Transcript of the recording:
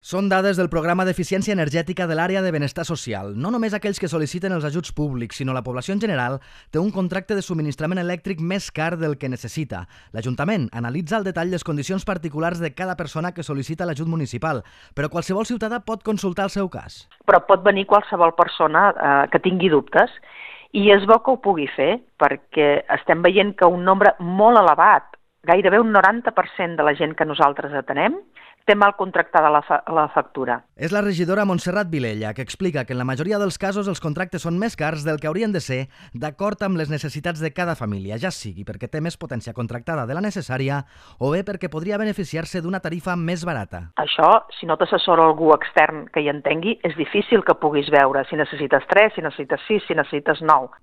Són dades del Programa d'Eficiència Energètica de l'Àrea de Benestar Social. No només aquells que sol·liciten els ajuts públics, sinó la població en general té un contracte de subministrament elèctric més car del que necessita. L'Ajuntament analitza al detall les condicions particulars de cada persona que sol·licita l'ajut municipal, però qualsevol ciutadà pot consultar el seu cas. Però pot venir qualsevol persona que tingui dubtes i és bo que ho pugui fer perquè estem veient que un nombre molt elevat, gairebé un 90% de la gent que nosaltres atenem, té mal contractada la factura. És la regidora Montserrat Vilella, que explica que en la majoria dels casos els contractes són més cars del que haurien de ser d'acord amb les necessitats de cada família, ja sigui perquè té més potència contractada de la necessària o bé perquè podria beneficiar-se d'una tarifa més barata. Això, si no t'assessora algú extern que hi entengui, és difícil que puguis veure si necessites 3, si necessites 6, si necessites 9.